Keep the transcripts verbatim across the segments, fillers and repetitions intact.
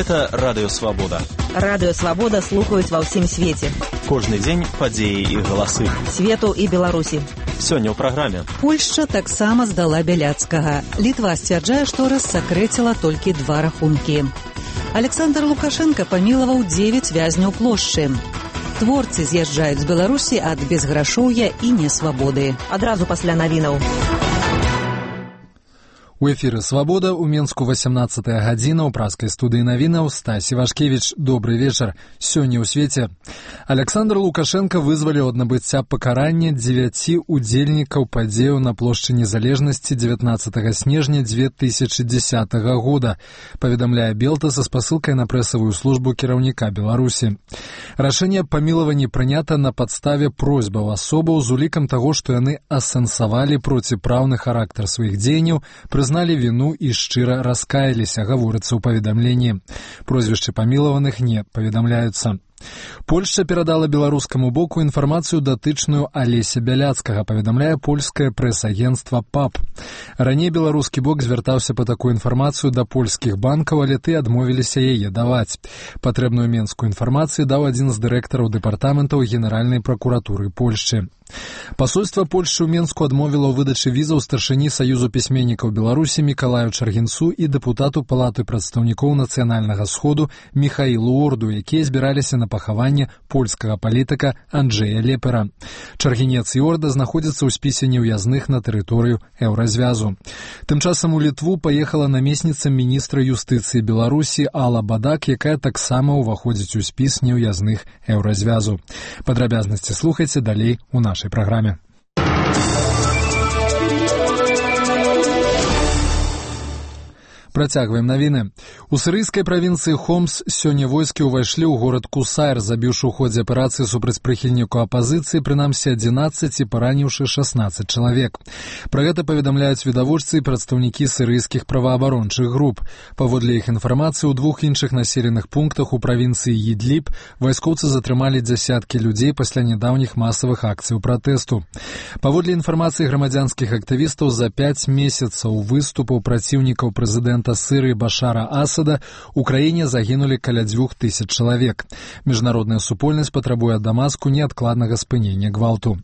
Гэта Радыё Свабода. Радыё Свабода слухаюць ва ўсім свеце. Кожны дзень падзеі і галасы. Свету і Беларусі. Сёння ў праграме. Польшча таксама здала Бяляцкага. Літва сцвярджае, што рассакрэціла толькі два рахункі. Александр Лукашенко памілаваў дзевяць вязняў плошчы. Творцы з'язджаюць з Беларусі ад безграшоўя і несвабоды. Адразу пасля навінаў. У эфіры «Свабода» у Менску васямнаццатая гадзіна ў праскай студыі навінаў Стась Івашкевіч. Добры вечар. Сёння ў свеце. Александр Лукашенко вызваліў ад набыцця пакарання дзевяці удзельнікаў падзеяў на плошчы Незалежнасці дзевятнаццатага снежня дзве тысячы дзесятага года, паведамляе Белта са спасылкай на прэсавую службу кіраўніка Беларусі. Рашэнне аб памілаванні прынята на падставе просьбаў асобаў з улікам таго, што яны асэнсавалі проціпраўны характар сваіх дзеянняў, зналі віну і шчыра раскаяліся, гаворыцца ў паведамленні. Прозвішчы памілаваных не паведамляюцца. Польшча перадала беларускаму боку інфармацыю датычную Алеся Бяляцкага, паведамляе польскае прэс-агенцтва ПАП. Раней беларускі бок звяртаўся па такую інфармацыю да польскіх банкаў, але ты адмовіліся яе даваць. Патрэбную менскую інфармацыю даў адзін з дырэктараў дэпартаментаў Генеральнай пракуратуры Польшчы. Пасольства Польшчы ў Менску адмовіла ў выдачы візаў старшыні Саюзу пісьменнікаў Беларусі Мікалаю Чаргінцу і дэпутату Палаты прадстаўнікоў Нацыянальнага сходу Міхаілу Орду, якія збіраліся на пахаванне польскага палітыка Анджэя Лепера. Чаргінец і Орда знаходзяцца ў спісе неўязных на тэрыторыю Еўразвязу. Тым часам у Літву паехала намесніца міністра юстыцыі Беларусі Алла Бадак, якая таксама ўваходзіць у спіс неўязных Еўразвязу. Падрабязнасці слухайце далей у нашай праграме. Працягваем навіны. У сірыйскай правінцыі Хомс сёння войскі ўвайшлі ў горад Кусайр, забіўшы ў ходзе аперацыі супраць прыхільніку апазіцыі прынамсі адзінаццаць і параніўшы шаснаццаць чалавек. Пра гэта паведамляюць відавочцы і прадстаўнікі сірыйскіх праваабарончых груп. Паводле іх інфармацыі, у двух іншых населеных пунктах у правінцыі Ідліб вайскоўцы затрымалі дзясяткі людзей пасля нядаўніх масавых акцыяў пратэсту. Паводле інфармацыі грамадзянскіх актывістаў, за пяць месяцаў выступаў праціўнікаў прэзідэнта Сырыі Башара Асада у краіне загінулі каля дзвюх тысяч чалавек. Міжнародная супольнасць патрабуе ад Дамаску неадкладнага спынення гвалту.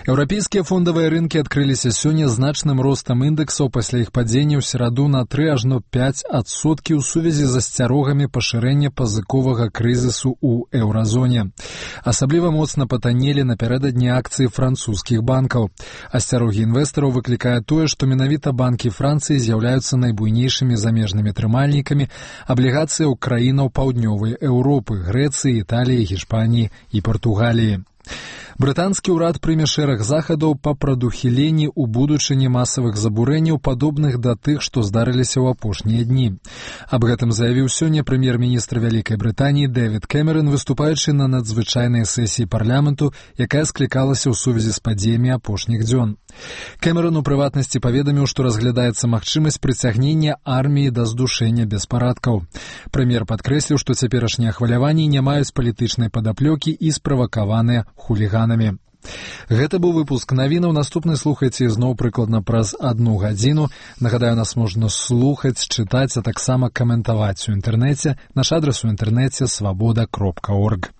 Еўрапейскія фондавыя рынкі адкрыліся сёння значным ростам індэксаў пасля іх падзення ў сераду на тры ажно пяць адсоткі ў сувязі з асцярогамі пашырэння пазыковага крызісу ў еўразоне. Асабліва моцна патаннелі напярэдадні акцыі французскіх банкаў. Асцярогі інвестараў выклікае тое, што менавіта банкі Францыі з'яўляюцца найбуйнейшымі замежнымі трымальнікамі аблігацыяў краінаў паўднёвай Еўропы, Грэцыі, Італіі, Гішпаніі і Партугаліі. Брытанскі ўрад прыме шэраг захадаў па прадухіленні ў будучыні масавых забурэнняў, падобных да тых, што здарыліся ў апошнія дні. Аб гэтым заявіў сёння прэм'ер-міністр Вялікай Брытаніі Дэвід Кэмерон, выступаючы на надзвычайнай сесіі парламенту, якая склікалася ў сувязі з падзеямі апошніх дзён. Кэмерон у прыватнасці паведаміў, што разглядаецца магчымасць прыцягнення арміі да здушэння беспарадкаў. Прэм'ер падкрэсліў, што цяперашнія хваляванні не маюць палітычнай падаплёкі і справакаваныя хуліганамі. Гэта быў выпуск навінаў. Наступны слухайце зноў прыкладна праз адну гадзіну. Нагадаю, нас можна слухаць, чытаць, а таксама каментаваць у інтэрнэце. Наш адрас у інтэрнэце свабода кропка орг.